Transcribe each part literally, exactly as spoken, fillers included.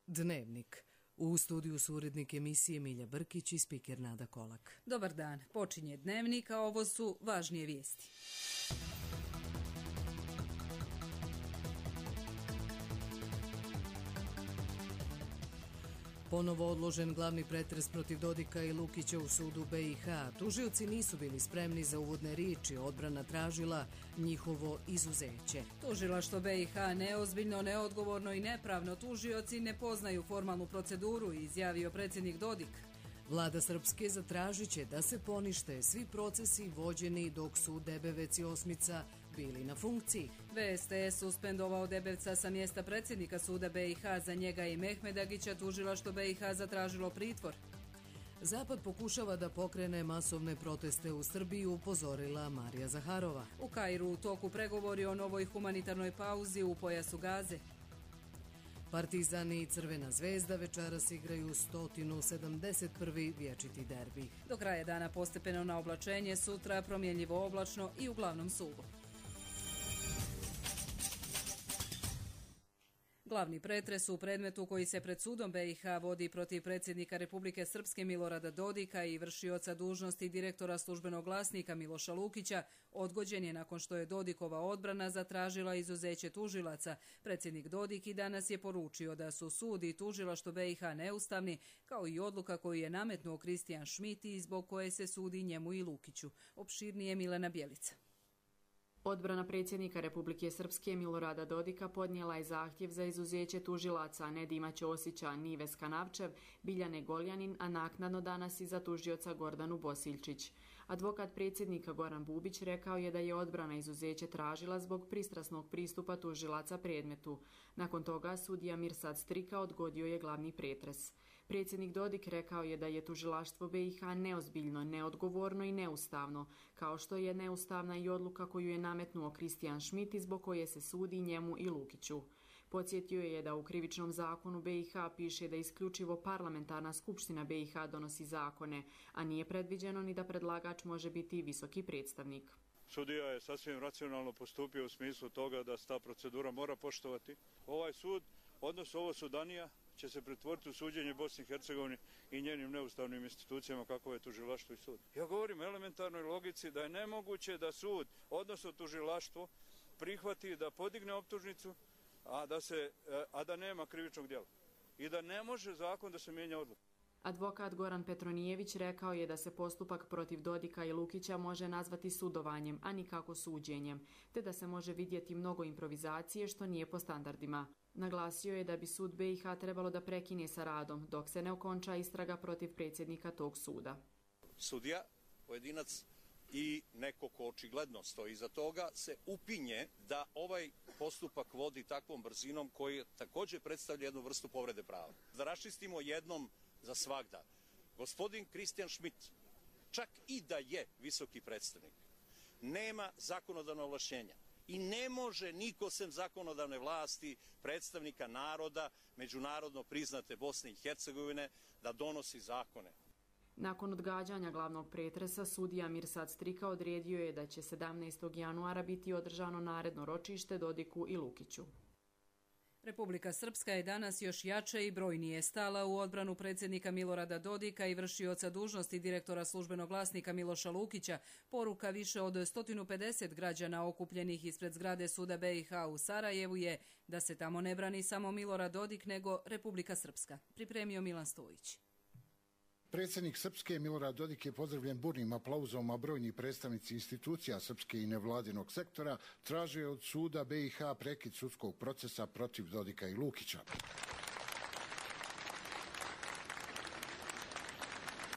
Dnevnik. U studiju su urednik emisije Milja Brkić i spiker Nada Kolak. Dobar dan. Počinje Dnevnik, a ovo su važnije vijesti. Ponovo odložen glavni pretres protiv Dodika i Lukića u sudu be i ha. Tužioci nisu bili spremni za uvodne riječi, odbrana tražila njihovo izuzeće. Tužilaštvo be i ha neozbiljno, neodgovorno i nepravno. Tužioci ne poznaju formalnu proceduru, izjavio predsjednik Dodik. Vlada Srpske zatražit će da se ponište svi procesi vođeni dok su Debevec i Osmica bili na funkciji. ve es te es suspendovao Debevca sa mjesta predsjednika suda be i ha. Za njega i Mehmedagića tužilaštvo be i ha zatražilo pritvor. Zapad pokušava da pokrene masovne proteste u Srbiji, upozorila Marija Zaharova. U Kairu u toku pregovori o novoj humanitarnoj pauzi u pojasu Gaze. Partizan i Crvena zvezda večeras igraju sto sedamdeset prvi vječiti derbi. Do kraja dana postepeno na oblačenje, sutra promjenljivo oblačno i uglavnom suvo. Glavni pretres u predmetu koji se pred sudom be i ha vodi protiv predsjednika Republike Srpske Milorada Dodika i vršioca dužnosti direktora službenog glasnika Miloša Lukića odgođen je nakon što je Dodikova odbrana zatražila izuzeće tužilaca. Predsjednik Dodik i danas je poručio da su sud i tužilaštvo be i ha neustavni, kao i odluka koju je nametnuo Kristijan Šmit i zbog koje se sudi njemu i Lukiću. Opširnije Milena Bjelica. Odbrana predsjednika Republike Srpske Milorada Dodika podnijela je zahtjev za izuzeće tužilaca Nedima Ćosića, Nives Kanavčev, Biljane Goljanin, a naknadno danas i za tužioca Gordanu Bosiljčić. Advokat predsjednika Goran Bubić rekao je da je odbrana izuzeće tražila zbog pristrasnog pristupa tužilaca predmetu. Nakon toga sudija Mirsad Strika odgodio je glavni pretres. Predsjednik Dodik rekao je da je tužilaštvo be i ha neozbiljno, neodgovorno i neustavno, kao što je neustavna i odluka koju je nametnuo Kristijan Šmit i zbog koje se sudi njemu i Lukiću. Podsjetio je da u krivičnom zakonu be i ha piše da isključivo parlamentarna skupština be i ha donosi zakone, a nije predviđeno ni da predlagač može biti visoki predstavnik. Sudija je sasvim racionalno postupio u smislu toga da se ta procedura mora poštovati. Ovaj sud, odnosno ovo sudanija, će se pretvoriti u suđenje Bosni i Hercegovini i njenim neustavnim institucijama kako je tužilaštvo i sud. Ja govorim o elementarnoj logici da je nemoguće da sud, odnosno tužilaštvo, prihvati da podigne optužnicu, a da, se, a da nema krivičnog djela. I da ne može zakon da se mijenja odluka. Advokat Goran Petronijević rekao je da se postupak protiv Dodika i Lukića može nazvati sudovanjem, a nikako suđenjem, te da se može vidjeti mnogo improvizacije što nije po standardima. Naglasio je da bi sud be i ha trebalo da prekine sa radom dok se ne okonča istraga protiv predsjednika tog suda. Sudija, pojedinac i neko ko očigledno stoji iza toga se upinje da ovaj postupak vodi takvom brzinom koji također predstavlja jednu vrstu povrede prava. Da raščistimo jednom za svagda. Gospodin Kristijan Šmit, čak i da je visoki predstavnik, nema zakonodavna ovlašćenja. I ne može niko sem zakonodavne vlasti, predstavnika naroda, međunarodno priznate Bosne i Hercegovine, da donosi zakone. Nakon odgađanja glavnog pretresa, sudija Mirsad Strika odredio je da će sedamnaestog januara biti održano naredno ročište Dodiku i Lukiću. Republika Srpska je danas još jače i brojnije stala u odbranu predsjednika Milorada Dodika i vršioca dužnosti direktora službenog glasnika Miloša Lukića. Poruka više od sto pedeset građana okupljenih ispred zgrade suda be i ha u Sarajevu je da se tamo ne brani samo Milorad Dodik nego Republika Srpska. Pripremio Milan Stojić. Predsjednik Srpske Milorad Dodik je pozdravljen burnim aplauzom, a brojni predstavnici institucija Srpske i nevladinog sektora traže od suda be i ha prekid sudskog procesa protiv Dodika i Lukića.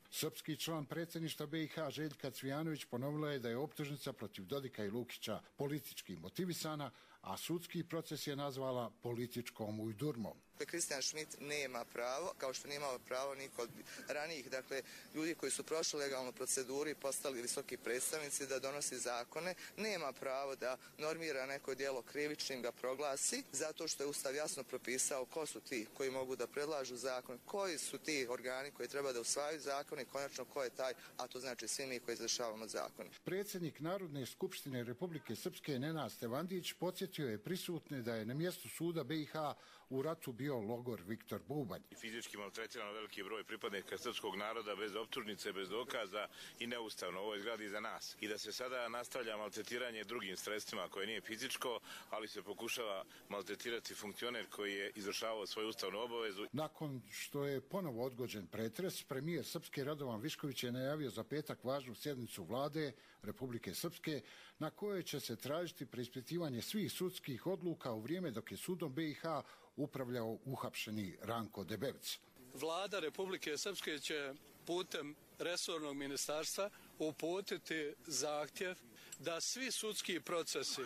Srpski član predsjedništva be i ha Željka Cvijanović ponovila je da je optužnica protiv Dodika i Lukića politički motivisana, a sudski proces je nazvala političkom ujdurmom. Kristijan Šmit nema pravo, kao što nije imao pravo niko od ranijih, dakle, ljudi koji su prošli legalnu proceduru i postali visoki predstavnici da donosi zakone, nema pravo da normira neko djelo krivičnim, ga proglasi, zato što je Ustav jasno propisao ko su ti koji mogu da predlažu zakon, koji su ti organi koji treba da usvajaju zakone i konačno ko je taj, a to znači svi mi koji izvršavamo zakone. Predsjednik Narodne skupštine Republike Srpske Nenad Stevandić podsjetio je prisutne da je na mjestu suda be i ha u ratu bio logor Viktor Bubanj. Fizički maltretiran veliki broj pripadnika srpskog naroda bez optužnice, bez dokaza i neustavno u ovoj zgradi za nas. I da se sada nastavlja maltretiranje drugim sredstvima koje nije fizičko, ali se pokušava maltretirati funkcioner koji je izvršavao svoju ustavnu obavezu. Nakon što je ponovo odgođen pretres, premijer Srpske Radovan Višković je najavio za petak važnu sjednicu vlade Republike Srpske na kojoj će se tražiti preispitivanje svih sudskih odluka u vrijeme dok je sudom B i H upravljao uhapšeni Ranko Debevec. Vlada Republike Srpske će putem resornog ministarstva uputiti zahtjev da svi sudski procesi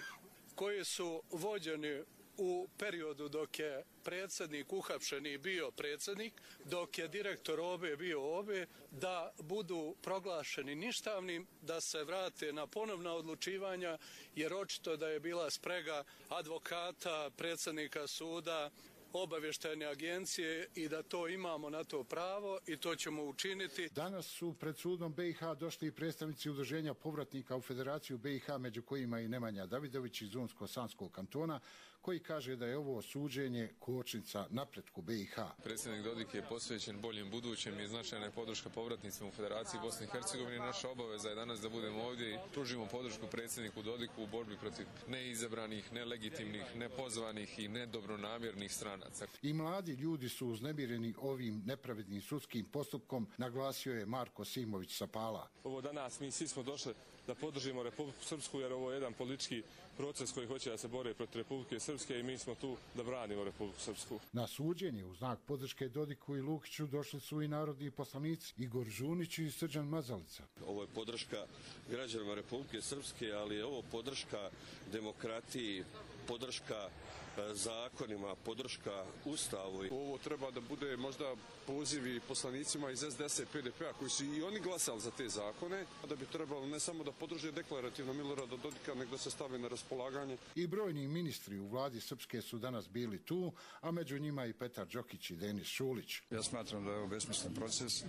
koji su vođeni u periodu dok je predsjednik uhapšeni bio predsjednik, dok je direktor O B bio O B, da budu proglašeni ništavnim, da se vrate na ponovna odlučivanja, jer očito da je bila sprega advokata, predsjednika suda, obavještajne agencije i da to imamo na to pravo i to ćemo učiniti. Danas su pred sudom B i H došli i predstavnici udruženja povratnika u Federaciju B i H, među kojima i Nemanja Davidović iz Unsko-Sanskog kantona, koji kaže da je ovo suđenje kočnica napretku B i H. Predsjednik Dodik je posvećen boljem budućem i značajna je podrška povratnicima u Federaciji Bosne i Hercegovine. Naša obaveza je danas da budemo ovdje i pružimo podršku predsjedniku Dodiku u borbi protiv neizabranih, nelegitimnih, nepozvanih i nedobronamjernih stranaca. I mladi ljudi su uznemireni ovim nepravednim sudskim postupkom, naglasio je Marko Simović sa Pala. Ovo danas mi svi smo došli da podržimo Republiku Srpsku, jer ovo je jedan politički proces koji hoće da se bori protiv Republike Srpske i mi smo tu da branimo Republiku Srpsku. Na suđenje u znak podrške Dodiku i Lukiću došli su i narodni poslanici Igor Žunić i Srđan Mazalica. Ovo je podrška građanima Republike Srpske, ali je ovo podrška demokratiji, podrška zakonima, podrška Ustavu. Ovo treba da bude možda pozivi poslanicima iz S D S i P D P-a koji su i oni glasali za te zakone, da bi trebalo ne samo da podrže deklarativno Milorada Dodika, nego da se stave na raspolaganje. I brojni ministri u vladi Srpske su danas bili tu, a među njima i Petar Đokić i Denis Šulić. Ja smatram da je ovo besmislen proces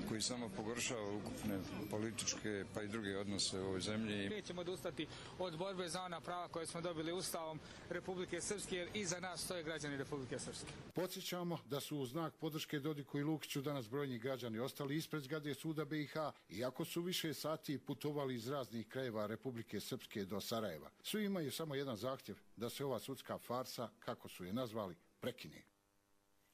koji samo pogoršava ukupne političke pa i druge odnose u ovoj zemlji. Nećemo odustati od borbe za ona prava koje smo dobili Ustavom Republike Srpske, jer iza nas stoje građani Republike Srpske. Podsjećamo da su u znak podrške Dodiku i Lukiću danas brojni građani ostali ispred zgrade suda B i H, iako su više sati putovali iz raznih krajeva Republike Srpske do Sarajeva. Svi imaju samo jedan zahtjev, da se ova sudska farsa, kako su je nazvali, prekine.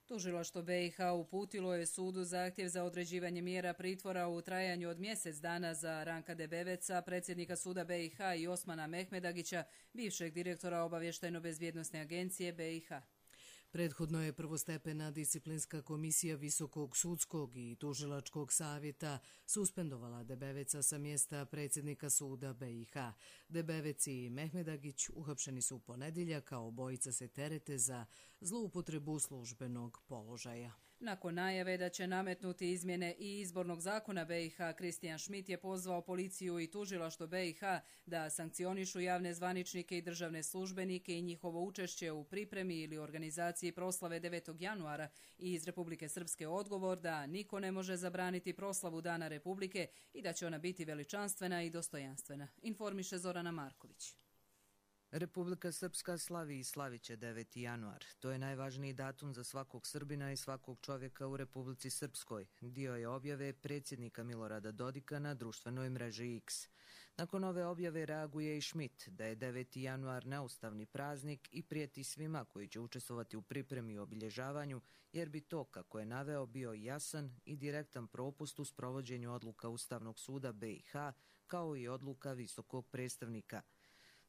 Tužilaštvo B i H uputilo je sudu zahtjev za određivanje mjera pritvora u trajanju od mjesec dana za Ranka Debeveca, predsjednika suda B i H, i Osmana Mehmedagića, bivšeg direktora obavještajno-bezbjednosne agencije B i H. Prethodno je prvostepena disciplinska komisija Visokog sudskog i tužilačkog savjeta suspendovala Debeveca sa mjesta predsjednika suda B i H. Debevec i Mehmedagić uhapšeni su u ponedjeljak, a obojica se terete za zloupotrebu službenog položaja. Nakon najave da će nametnuti izmjene i izbornog zakona B i H, Kristijan Šmit je pozvao policiju i tužilaštvo B i H da sankcionišu javne zvaničnike i državne službenike i njihovo učešće u pripremi ili organizaciji proslave devetog januara i iz Republike Srpske odgovor da niko ne može zabraniti proslavu Dana Republike i da će ona biti veličanstvena i dostojanstvena, informiše Zorana Marković. Republika Srpska slavi i slaviće deveti januar. To je najvažniji datum za svakog Srbina i svakog čovjeka u Republici Srpskoj. Dio je objave predsjednika Milorada Dodika na društvenoj mreži X. Nakon ove objave reaguje i Šmit da je deveti januar neustavni praznik i prijeti svima koji će učestvovati u pripremi i obilježavanju, jer bi to, kako je naveo, bio jasan i direktan propust u sprovođenju odluka Ustavnog suda B i H, kao i odluka visokog predstavnika.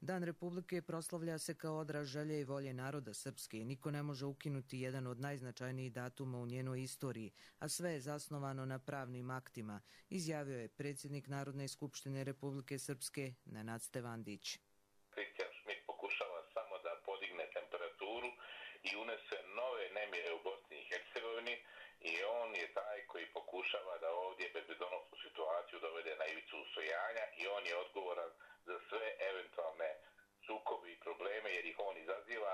Dan Republike proslavlja se kao odraz želje i volje naroda Srpske i niko ne može ukinuti jedan od najznačajnijih datuma u njenoj istoriji, a sve je zasnovano na pravnim aktima, izjavio je predsjednik Narodne skupštine Republike Srpske Nenad Stevandić. Kristijan Šmit pokušava samo da podigne temperaturu i unese nove nemire u Bosni i Hercegovini i on je taj koji pokušava da ovdje bezbedonosnu situaciju dovede na ivicu usvajanja i on je odgovoran za sve eventualne sukobe i probleme jer ih on izaziva,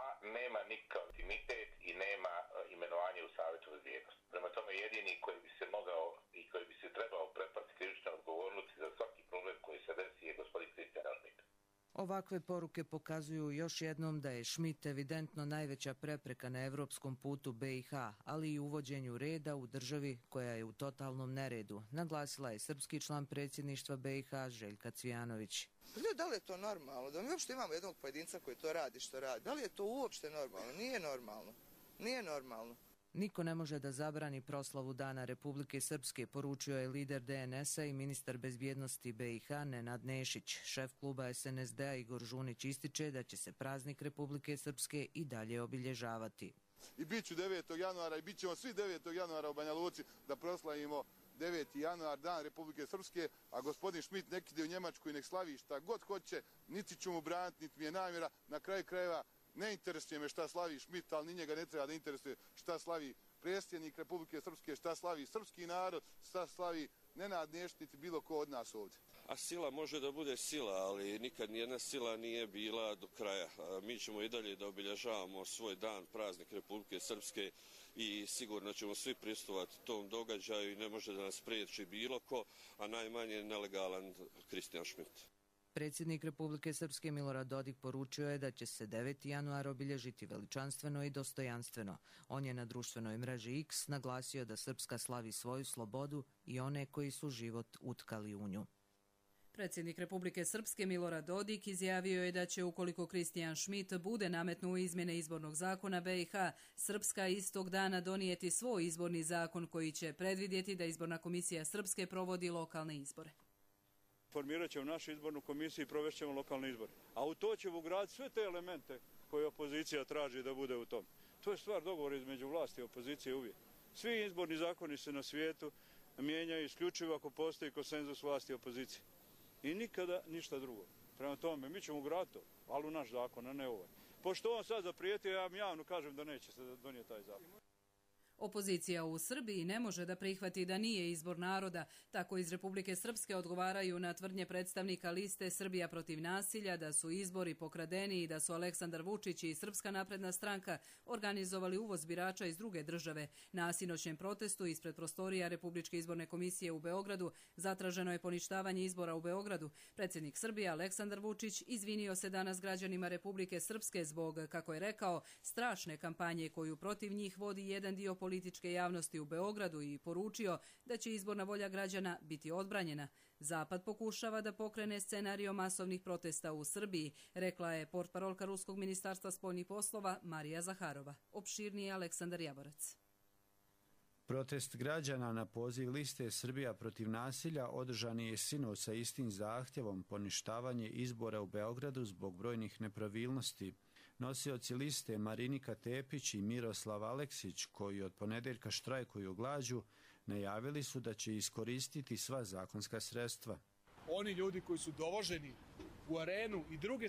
a nema nikakav intimitet i nema imenovanje u Savjetu bezbjednosti. Prema tome jedini koji bi se mogao i koji bi se trebao prepasti krivične odgovornosti za svaki problem koji se desi je gospodin Kristijan Šmit. Ovakve poruke pokazuju još jednom da je Schmidt evidentno najveća prepreka na evropskom putu B i H, ali i uvođenju reda u državi koja je u totalnom neredu, naglasila je srpski član predsjedništva B i H Željka Cvijanović. Da li je to normalno? Da mi uopšte imamo jednog pojedinca koji to radi što radi. Da li je to uopšte normalno? Nije normalno. Nije normalno. Niko ne može da zabrani proslavu Dana Republike Srpske, poručio je lider D N S-a i ministar bezbjednosti B i H Nenad Nešić. Šef kluba S N S D-a Igor Žunić ističe da će se praznik Republike Srpske i dalje obilježavati. I bit ću devetog januara i bit ćemo svi devetog januara u Banja Luci da proslavimo deveti januar, Dan Republike Srpske, a gospodin Schmidt nek ide u Njemačku i nek slavi šta god hoće, niti ću mu braniti, niti mi je namjera, na kraju krajeva ne interesuje me šta slavi Schmidt, ali ni njega ne treba da interesuje šta slavi predsjednik Republike Srpske, šta slavi srpski narod, šta slavi Nenad Nešić, niti bilo ko od nas ovdje. A sila može da bude sila, ali nikad nijedna sila nije bila do kraja. Mi ćemo i dalje da obilježavamo svoj dan, praznik Republike Srpske i sigurno ćemo svi prisustvovati tom događaju i ne može da nas priječi bilo ko, a najmanje nelegalan Kristijan Schmidt. Predsjednik Republike Srpske Milorad Dodik poručio je da će se deveti januar obilježiti veličanstveno i dostojanstveno. On je na društvenoj mreži X naglasio da Srpska slavi svoju slobodu i one koji su život utkali u nju. Predsjednik Republike Srpske Milorad Dodik izjavio je da će, ukoliko Kristijan Schmidt bude nametnuo izmjene izbornog zakona B i H, Srpska istog dana donijeti svoj izborni zakon koji će predvidjeti da izborna komisija Srpske provodi lokalne izbore. Formirat ćemo našu izbornu komisiju i provešćemo lokalne izbore. A u to ćemo ugraditi sve te elemente koje opozicija traži da bude u tom. To je stvar dogovora između vlasti i opozicije uvijek. Svi izborni zakoni se na svijetu mijenjaju isključivo ako postoji konsenzus vlasti i opozicije. I nikada ništa drugo. Prema tome, mi ćemo ugraditi to, ali u naš zakon, a ne ovaj. Pošto on sad zaprijetio, ja vam javno kažem da neće se donijeti taj zakon. Opozicija u Srbiji ne može da prihvati da nije izbor naroda. Tako iz Republike Srpske odgovaraju na tvrdnje predstavnika liste Srbija protiv nasilja da su izbori pokradeni i da su Aleksandar Vučić i Srpska napredna stranka organizovali uvoz birača iz druge države. Na sinoćnjem protestu ispred prostorija Republičke izborne komisije u Beogradu zatraženo je poništavanje izbora u Beogradu. Predsjednik Srbije Aleksandar Vučić izvinio se danas građanima Republike Srpske zbog, kako je rekao, strašne kampanje koju protiv njih vodi jedan dio političke političke javnosti u Beogradu i poručio da će izborna volja građana biti odbranjena. Zapad pokušava da pokrene scenario masovnih protesta u Srbiji, rekla je portparolka Ruskog ministarstva spoljnih poslova Marija Zaharova. Opširnije Aleksandar Javorac. Protest građana na poziv liste Srbija protiv nasilja održan je sinoć sa istim zahtjevom poništavanje izbora u Beogradu zbog brojnih nepravilnosti. Nosioci liste Marinika Tepić i Miroslav Aleksić, koji od ponedeljka štrajkuju glađu, najavili su da će iskoristiti sva zakonska sredstva. Oni ljudi koji su dovoženi u arenu i druge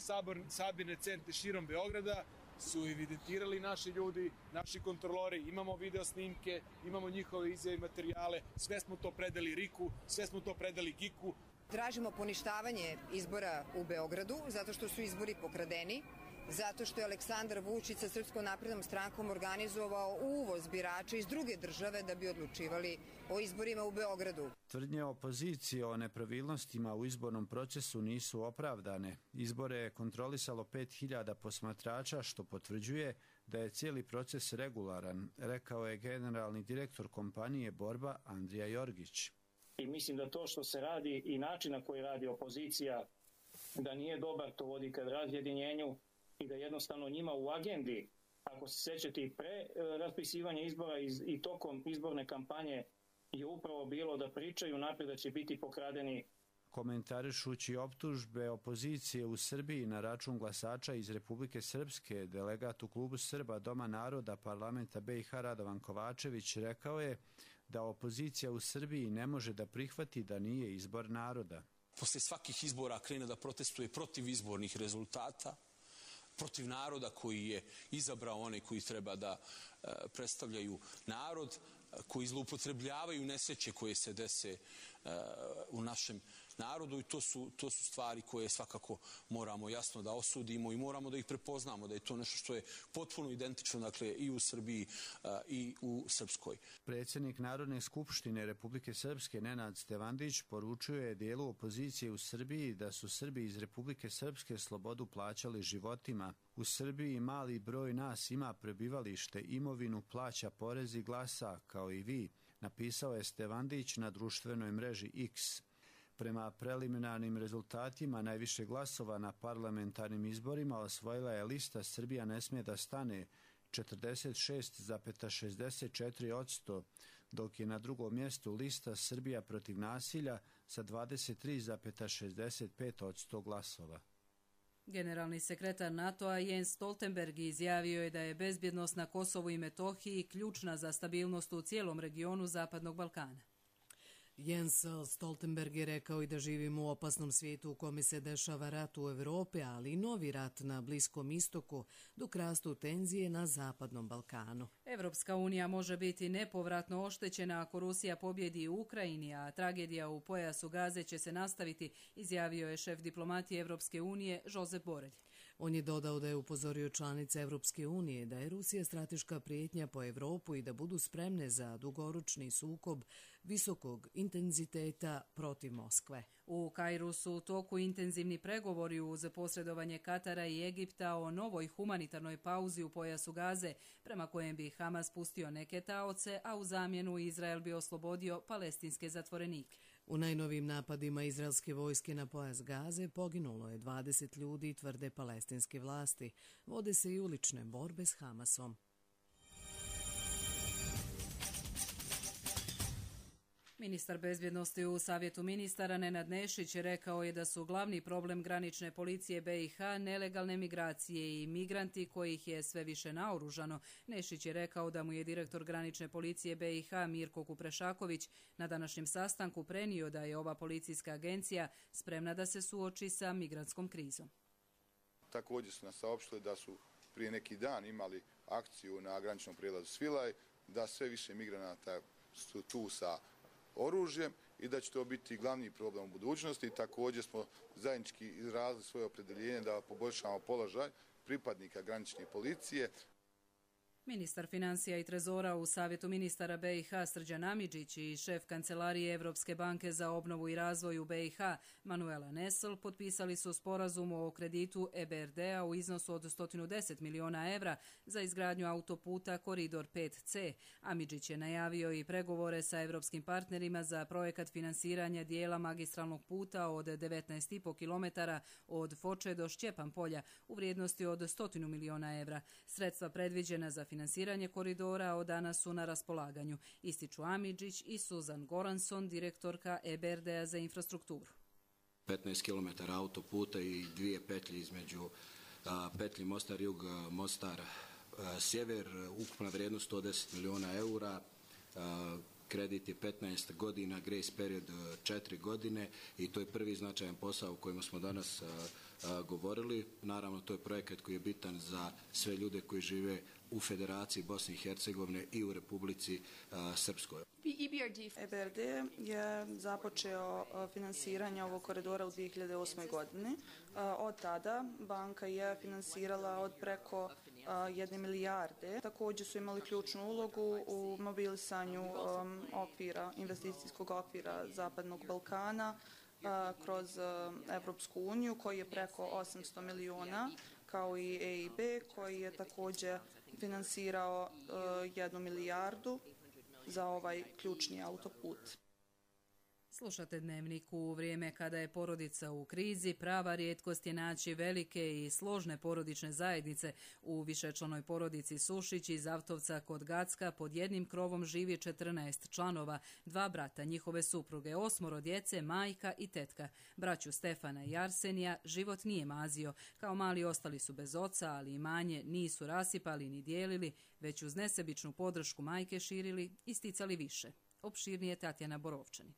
sabirne centre širom Beograda su evidentirali naši ljudi, naši kontrolori, imamo video snimke, imamo njihove izjave i materijale, sve smo to predali Riku, sve smo to predali Giku. Tražimo poništavanje izbora u Beogradu zato što su izbori pokradeni, zato što je Aleksandar Vučić sa Srpskom naprednom strankom organizovao uvoz birača iz druge države da bi odlučivali o izborima u Beogradu. Tvrdnje opozicije o nepravilnostima u izbornom procesu nisu opravdane. Izbore je kontrolisalo pet hiljada posmatrača, što potvrđuje da je cijeli proces regularan, rekao je generalni direktor kompanije Borba Andrija Jorgić. I mislim da to što se radi i način na koji radi opozicija, da nije dobar, to vodi ka razjedinjenju i da jednostavno njima u agendi, ako se sećate i pre raspisivanja izbora i tokom izborne kampanje, je upravo bilo da pričaju naprijed da će biti pokradeni. Komentarišući optužbe opozicije u Srbiji na račun glasača iz Republike Srpske, delegat u klubu Srba Doma naroda parlamenta B i H Radovan Kovačević rekao je da opozicija u Srbiji ne može da prihvati da nije izbor naroda. Posle svakih izbora krene da protestuje protiv izbornih rezultata, protiv naroda koji je izabrao one koji treba da e, predstavljaju narod, koji zloupotrebljavaju nesreće koje se dese e, u našem narodu i to su, to su stvari koje svakako moramo jasno da osudimo i moramo da ih prepoznamo, da je to nešto što je potpuno identično, dakle, i u Srbiji a, i u Srpskoj. Predsjednik Narodne skupštine Republike Srpske Nenad Stevandić poručuje dijelu opozicije u Srbiji da su Srbi iz Republike Srpske slobodu plaćali životima. U Srbiji mali broj nas ima prebivalište, imovinu, plaća porez i glasa, kao i vi, napisao je Stevandić na društvenoj mreži X. Prema preliminarnim rezultatima najviše glasova na parlamentarnim izborima osvojila je lista Srbija ne smije da stane četrdeset šest zarez šezdeset četiri posto, dok je na drugom mjestu lista Srbija protiv nasilja sa dvadeset tri zarez šezdeset pet posto glasova. Generalni sekretar NATO-a Jens Stoltenberg izjavio je da je bezbjednost na Kosovu i Metohiji ključna za stabilnost u cijelom regionu Zapadnog Balkana. Jens Stoltenberg je rekao i da živimo u opasnom svijetu u kome se dešava rat u Evropi, ali i novi rat na Bliskom istoku, dok rastu tenzije na Zapadnom Balkanu. Evropska unija može biti nepovratno oštećena ako Rusija pobjedi u Ukrajini, a tragedija u pojasu Gaze će se nastaviti, izjavio je šef diplomatije Evropske unije Josep Borrell. On je dodao da je upozorio članice Evropske unije da je Rusija strateška prijetnja po Evropu i da budu spremne za dugoročni sukob visokog intenziteta protiv Moskve. U Kairu su u toku intenzivni pregovori uz posredovanje Katara i Egipta o novoj humanitarnoj pauzi u pojasu Gaze, prema kojem bi Hamas pustio neke taoce, a u zamjenu Izrael bi oslobodio palestinske zatvorenike. U najnovijim napadima izraelske vojske na pojas Gaze poginulo je dvadeset ljudi, tvrde palestinske vlasti. Vode se i ulične borbe s Hamasom. Ministar bezbjednosti u Savjetu ministara Nenad Nešić rekao je da su glavni problem granične policije B i H nelegalne migracije i migranti kojih je sve više naoružano. Nešić je rekao da mu je direktor granične policije B i H Mirko Kuprešaković na današnjem sastanku prenio da je ova policijska agencija spremna da se suoči sa migrantskom krizom. Također su nas saopštili da su prije neki dan imali akciju na graničnom prijelazu Svilaj, da sve više migranata su tu sa oružjem i da će to biti glavni problem u budućnosti. Također smo zajednički izrazili svoje opredeljenje da poboljšamo položaj pripadnika granične policije. Ministar financija i trezora u Savjetu ministara B i H Srđan Amidžić i šef Kancelarije Evropske banke za obnovu i razvoj u B i H Manuela Nesl potpisali su sporazum o kreditu E B R D-a u iznosu od sto deset miliona evra za izgradnju autoputa Koridor pet C. Amidžić je najavio i pregovore sa evropskim partnerima za projekat finansiranja dijela magistralnog puta od devetnaest zarez pet kilometara od Foče do Šćepan polja u vrijednosti od sto miliona evra. Sredstva predviđena za finansiranje koridora od danas su na raspolaganju, ističu Amidžić i Suzan Goranson, direktorka E B R D-a za infrastrukturu. petnaest kilometara autoputa i dvije petlje između a, petlji Mostar jug, Mostar a, sjever, ukupna vrijednost sto deset miliona eura, a, kredit je petnaest godina, grace period četiri godine i to je prvi značajan posao o kojem smo danas a, a, govorili. Naravno, to je projekat koji je bitan za sve ljude koji žive u Federaciji Bosne i Hercegovine i u Republici a, Srpskoj. E B R D je započeo finansiranje ovog koridora u dvije hiljade osme. godini. Od tada banka je finansirala od preko jedne milijarde. Također su imali ključnu ulogu u mobilisanju okvira, investicijskog okvira Zapadnog Balkana kroz Evropsku uniju koji je preko osamsto miliona, kao i E I B koji je također finansirao jednu milijardu za ovaj ključni autoput. Slušate Dnevnik. U vrijeme kada je porodica u krizi, prava rijetkost je naći velike i složne porodične zajednice. U višečlanoj porodici Sušić iz Avtovca kod Gacka pod jednim krovom živi četrnaest članova, dva brata, njihove supruge, osmoro djece, majka i tetka. Braću Stefana i Arsenija život nije mazio. Kao mali ostali su bez oca, ali imanje nisu rasipali ni dijelili, već uz nesebičnu podršku majke širili i sticali više. Opširnije Tatjana Borovčani.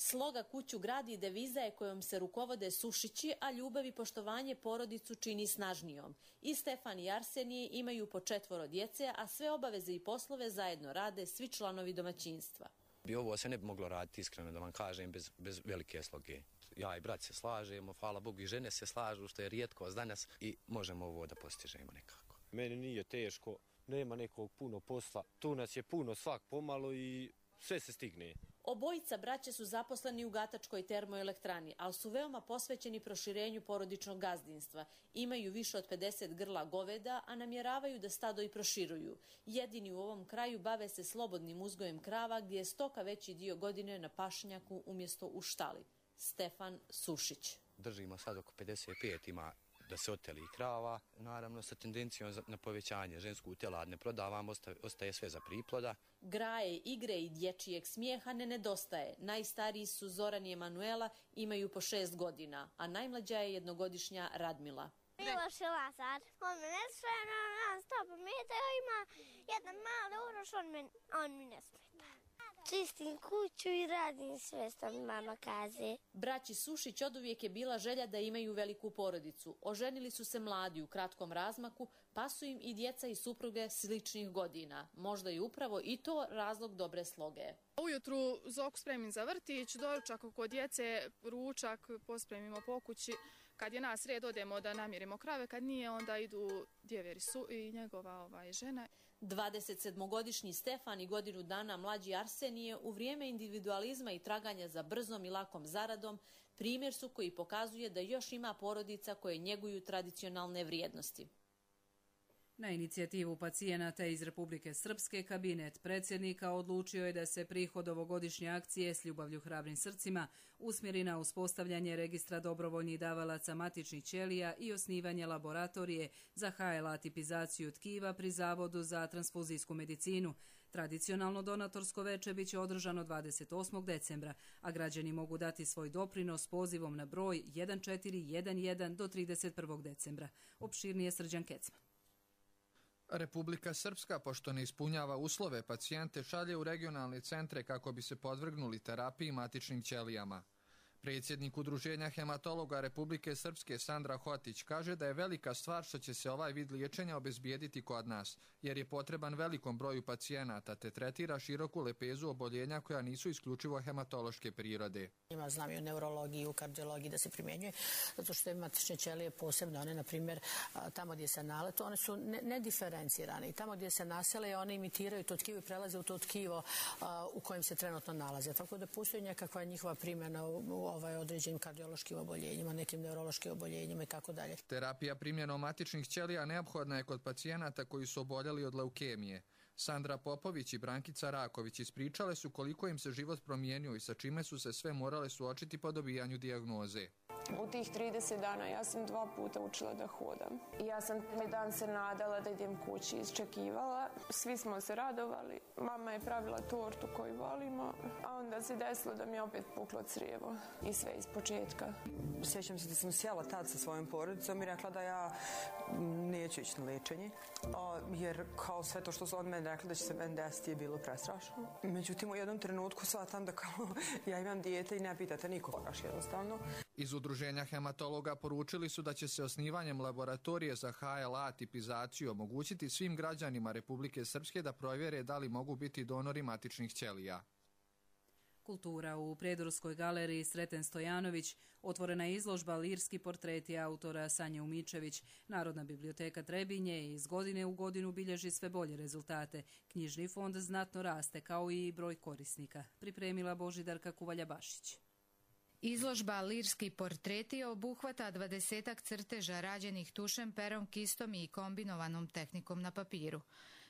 Sloga kuću gradi deviza je kojom se rukovode Sušići, a ljubav i poštovanje porodicu čini snažnijom. I Stefan i Arsenije imaju po četvoro djece, a sve obaveze i poslove zajedno rade svi članovi domaćinstva. I ovo se ne bi moglo raditi, iskreno da vam kažem, bez, bez velike sloge. Ja i brat se slažemo, hvala Bogu, i žene se slažu, što je rijetkost danas, i možemo ovo da postižemo nekako. Meni nije teško, nema nekog puno posla, tu nas je puno svak pomalo i sve se stigne. Obojica braće su zaposleni u Gatačkoj termoelektrani, ali su veoma posvećeni proširenju porodičnog gazdinstva. Imaju više od pedeset grla goveda, a namjeravaju da stado i proširuju. Jedini u ovom kraju bave se slobodnim uzgojem krava, gdje je stoka veći dio godine na pašnjaku umjesto u štali. Stefan Sušić. Držimo sad oko pedeset pet, ima da se oteli krava, naravno sa tendencijom na povećanje. Žensku telad ne prodavamo, ostaje sve za priploda. Graje, igre i dječijeg smijeha ne nedostaje. Najstariji su Zoran i Emanuela, imaju po šest godina, a najmlađa je jednogodišnja Radmila. Miloš i Lazar, on me ne smeta, on stop meta, ima jedan mali uroš, on, me, on mi ne smeta. Čistim kuću i radim sve što mi mama kaže. Braći Sušić oduvijek je bila želja da imaju veliku porodicu. Oženili su se mladi u kratkom razmaku, pa su im i djeca i supruge sličnih godina. Možda je upravo i to razlog dobre sloge. Ujutru Zoku spremim za vrtić, doručak oko djece, ručak pospremimo po kući. Kad je nas red, odemo da namirimo krave, kad nije, onda idu djeveri su i njegova ovaj, žena. dvadesetsedmogodišnji Stefan i godinu dana mlađi Arsenije u vrijeme individualizma i traganja za brzom i lakom zaradom primjer su koji pokazuje da još ima porodica koje njeguju tradicionalne vrijednosti. Na inicijativu pacijenata iz Republike Srpske, kabinet predsjednika odlučio je da se prihod ovogodišnje akcije S ljubavlju hrabrim srcima usmjeri na uspostavljanje registra dobrovoljnih davalaca matičnih ćelija i osnivanje laboratorije za H L A tipizaciju tkiva pri Zavodu za transfuzijsku medicinu. Tradicionalno donatorsko veče biće održano dvadeset osmog decembra, a građani mogu dati svoj doprinos pozivom na broj jedan četiri jedan jedan do trideset prvog decembra. Opširnije Srđan Kecman. Republika Srpska, pošto ne ispunjava uslove, pacijente šalje u regionalne centre kako bi se podvrgnuli terapiji matičnim ćelijama. Predsjednik Udruženja hematologa Republike Srpske Sandra Hotić kaže da je velika stvar što će se ovaj vid liječenja obezbijediti kod nas, jer je potreban velikom broju pacijenata te tretira široku lepezu oboljenja koja nisu isključivo hematološke prirode. Ima znam i u neurologiji i u kardiologiji da se primjenjuje, zato što je matične ćelije posebno, one na primjer tamo gdje se naletu, one su nediferencirane i tamo gdje se nasele one imitiraju to tkivo i prelaze u to tkivo u kojem se trenutno nalaze. Tako da postoji nekakva njihova primjena u ovaj određenim kardiološkim oboljenjima, nekim neurološkim oboljenjima i tako dalje. Terapija primjenom matičnih ćelija neophodna je kod pacijenata koji su oboljeli od leukemije. Sandra Popović i Brankica Raković ispričale su koliko im se život promijenio i sa čime su se sve morale suočiti po dobijanju dijagnoze. U tih trideset dana ja sam dva puta učila da hodam. Ja sam mi dan se nadala da idem kući, isčekivala. Svi smo se radovali. Mama je pravila tortu koju volimo, a onda se desilo da mi je opet puklo crijevo i sve iz početka. Sjećam se da sam sjela tad sa svojom porodicom i rekla da ja neću ići na liječenje, jer kao sve to što su od mene rekli da će se meni desiti je bilo prestrašno. Međutim, u jednom trenutku shvatam da kao ja imam dijete i ne pitate nikoga baš jednostavno. Iz Udruženja hematologa poručili su da će se osnivanjem laboratorije za H L A tipizaciju omogućiti svim građanima Republike Srpske da provjere da li mogu biti donori matičnih ćelija. Kultura u Prijedorskoj galeriji Sreten Stojanović, otvorena je izložba Lirski portreti autora Sanje Umičević. Narodna biblioteka Trebinje iz godine u godinu bilježi sve bolje rezultate. Knjižni fond znatno raste, kao i broj korisnika. Pripremila Božidarka Kuvalja-Bašić. Izložba Lirski portreti obuhvata dvadesetak crteža rađenih tušem, perom, kistom i kombinovanom tehnikom na papiru.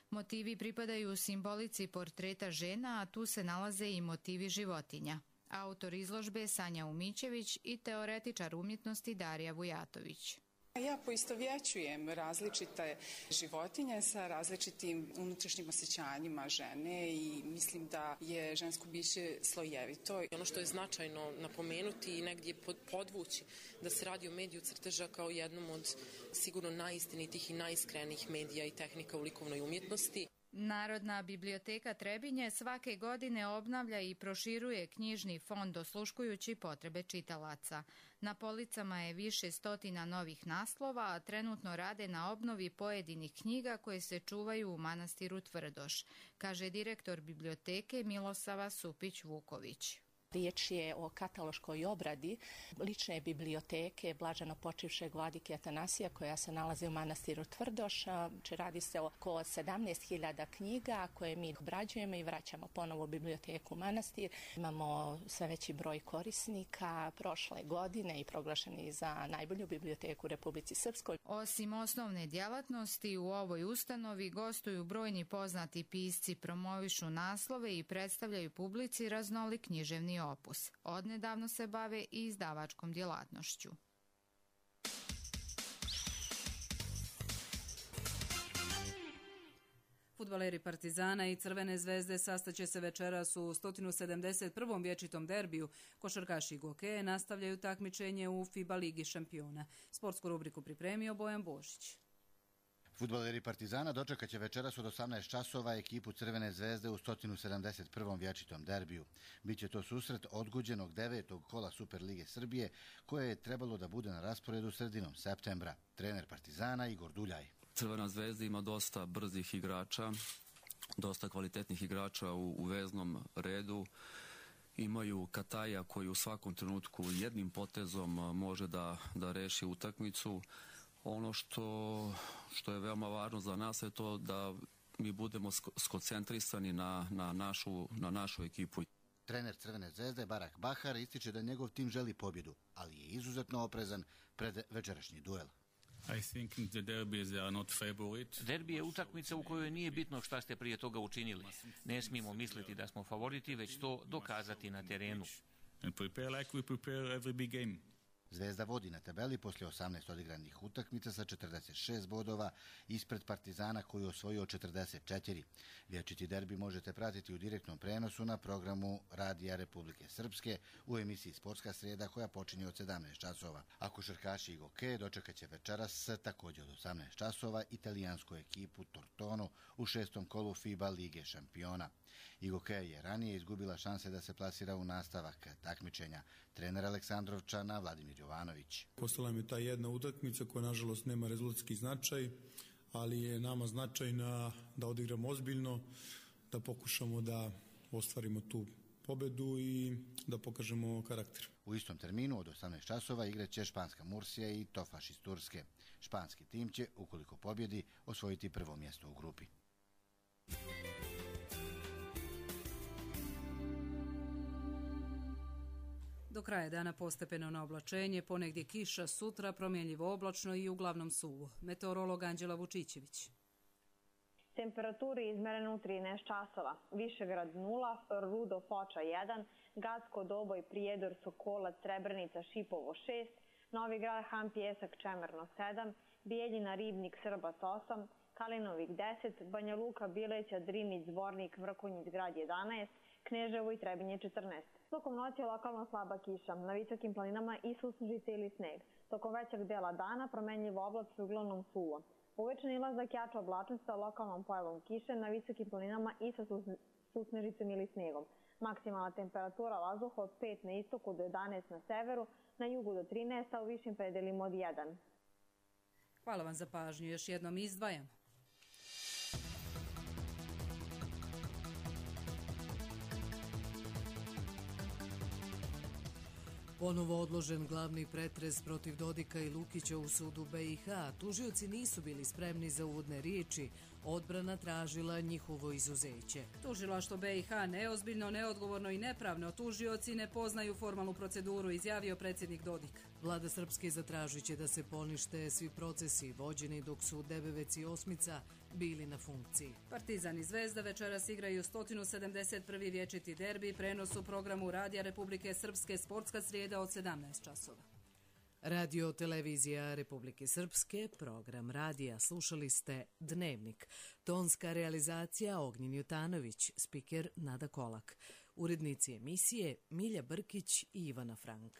Motivi pripadaju simbolici portreta žena, a tu se nalaze i motivi životinja. Autor izložbe Sanja Umičević i teoretičar umjetnosti Darija Vujatović. Ja poistovjećujem različite životinje sa različitim unutrašnjim osjećanjima žene i mislim da je žensko biće slojevito. Ono što je značajno napomenuti i negdje podvući da se radi o mediju crteža kao jednom od sigurno najistinitih i najiskrenijih medija i tehnika u likovnoj umjetnosti. Narodna biblioteka Trebinje svake godine obnavlja i proširuje knjižni fond osluškujući potrebe čitalaca. Na policama je više stotina novih naslova, a trenutno rade na obnovi pojedinih knjiga koje se čuvaju u manastiru Tvrdoš, kaže direktor biblioteke Milosava Supić-Vuković. Riječ je o kataloškoj obradi lične biblioteke blaženo počivšeg vladike Atanasija koja se nalazi u manastiru Tvrdoš. Radi se oko sedamnaest hiljada knjiga koje mi obrađujemo i vraćamo ponovo u biblioteku manastir. Imamo sve veći broj korisnika prošle godine i proglašeni za najbolju biblioteku u Republici Srpskoj. Osim osnovne djelatnosti, u ovoj ustanovi gostuju brojni poznati pisci, promovišu naslove i predstavljaju publici raznolik književni opus. Odnedavno se bave i izdavačkom djelatnošću. Fudbaleri Partizana i Crvene zvezde sastaće se večeras u sto sedamdeset prvom vječitom derbiju. Košarkaši Gokeje nastavljaju takmičenje u FIBA Ligi šampiona. Sportsku rubriku pripremio Bojan Božić. Fudbaleri Partizana dočekat će večeras od osamnaest časova ekipu Crvene zvezde u sto sedamdeset prvom vječitom derbiju. Biće to susret odgođenog devetog kola Super Lige Srbije, koje je trebalo da bude na rasporedu sredinom septembra. Trener Partizana Igor Duljaj. Crvena zvezda ima dosta brzih igrača, dosta kvalitetnih igrača u, u veznom redu. Imaju Kataja koji u svakom trenutku jednim potezom može da, da reši utakmicu. Ono što, što je veoma važno za nas je to da mi budemo skoncentrisani na, na, našu, na našu ekipu. Trener Crvene zvezde Barak Bahar ističe da njegov tim želi pobjedu, ali je izuzetno oprezan pred večerašnji duel. Derbi je utakmica u kojoj nije bitno šta ste prije toga učinili. Ne smijemo misliti da smo favoriti, već to dokazati na terenu. Zvezda vodi na tabeli poslije osamnaest odigranih utakmica sa četrdeset šest bodova ispred Partizana koji je osvojio četrdeset četiri. Vječiti derbi možete pratiti u direktnom prenosu na programu Radija Republike Srpske u emisiji Sportska srijeda koja počinje od sedamnaest časova. A košarkaši i Gokeje dočekat će večeras također od osamnaest časova italijansku ekipu Tortonu u šestom kolu FIBA Lige šampiona. I Gokeje je ranije izgubila šanse da se plasira u nastavak takmičenja. Trener Aleksandrovčana Vladimir Jovanović. Postala mi ta jedna utakmica koja nažalost nema rezultatski značaj, ali je nama značajna da odigramo ozbiljno, da pokušamo da ostvarimo tu pobedu i da pokažemo karakter. U istom terminu od osamnaest časova igraće španska Mursija i Tofaš iz Turske. Španski tim će, ukoliko pobjedi, osvojiti prvo mjesto u grupi. Do kraja dana postepeno na oblačenje, ponegdje kiša, sutra promjenljivo oblačno i uglavnom suvo. Meteorolog Anđela Vučićević. Temperaturi izmerene u trinaest časova. Višegrad nula, Rudo Foča jedan, Gacko Doboj, Prijedor, Sokolac, Srebrenica, Šipovo šest, Novi Grad, Han Pjesak, Čemerno sedam, Bijeljina, Ribnik, Srbac osam, Kalinovik deset, Banja Luka, Bileća, Drinić, Zvornik, Vrkonjić, Grad jedanaest, Kneževo i Trebinje četrnaest. Tokom noći je lokalno slaba kiša, na visokim planinama i susnežice ili sneg. Tokom većeg dela dana promenljivo oblačno i uglavnom suvo. Uvečer ilazak jača oblačnost sa lokalnom pojavom kiše na visokim planinama i sa susnežicom ili snegom. Maksimalna temperatura vazduha od pet na istoku do jedanaest na severu, na jugu do trinaest, a u višim predelima od jedan. Hvala vam za pažnju. Još jednom izdvajamo. Ponovo odložen glavni pretres protiv Dodika i Lukića u sudu B i H. Tužioci nisu bili spremni za uvodne riječi. Odbrana tražila njihovo izuzeće. Tužilaštvo B i H neozbiljno, neodgovorno i nepravno. Tužioci ne poznaju formalnu proceduru, izjavio predsjednik Dodik. Vlada Srpske zatražit će da se ponište svi procesi vođeni dok su Debevec i Osmica bili na funkciji. Partizan i Zvezda večeras igraju sto sedamdeset prvi vječiti derbi, prenos u programu Radija Republike Srpske, Sportska srijeda od sedamnaest časova. Radio Televizija Republike Srpske, program radija. Slušali ste Dnevnik. Tonska realizacija Ognjen Jutanović, spiker Nada Kolak. Urednici emisije Milja Brkić i Ivana Frank.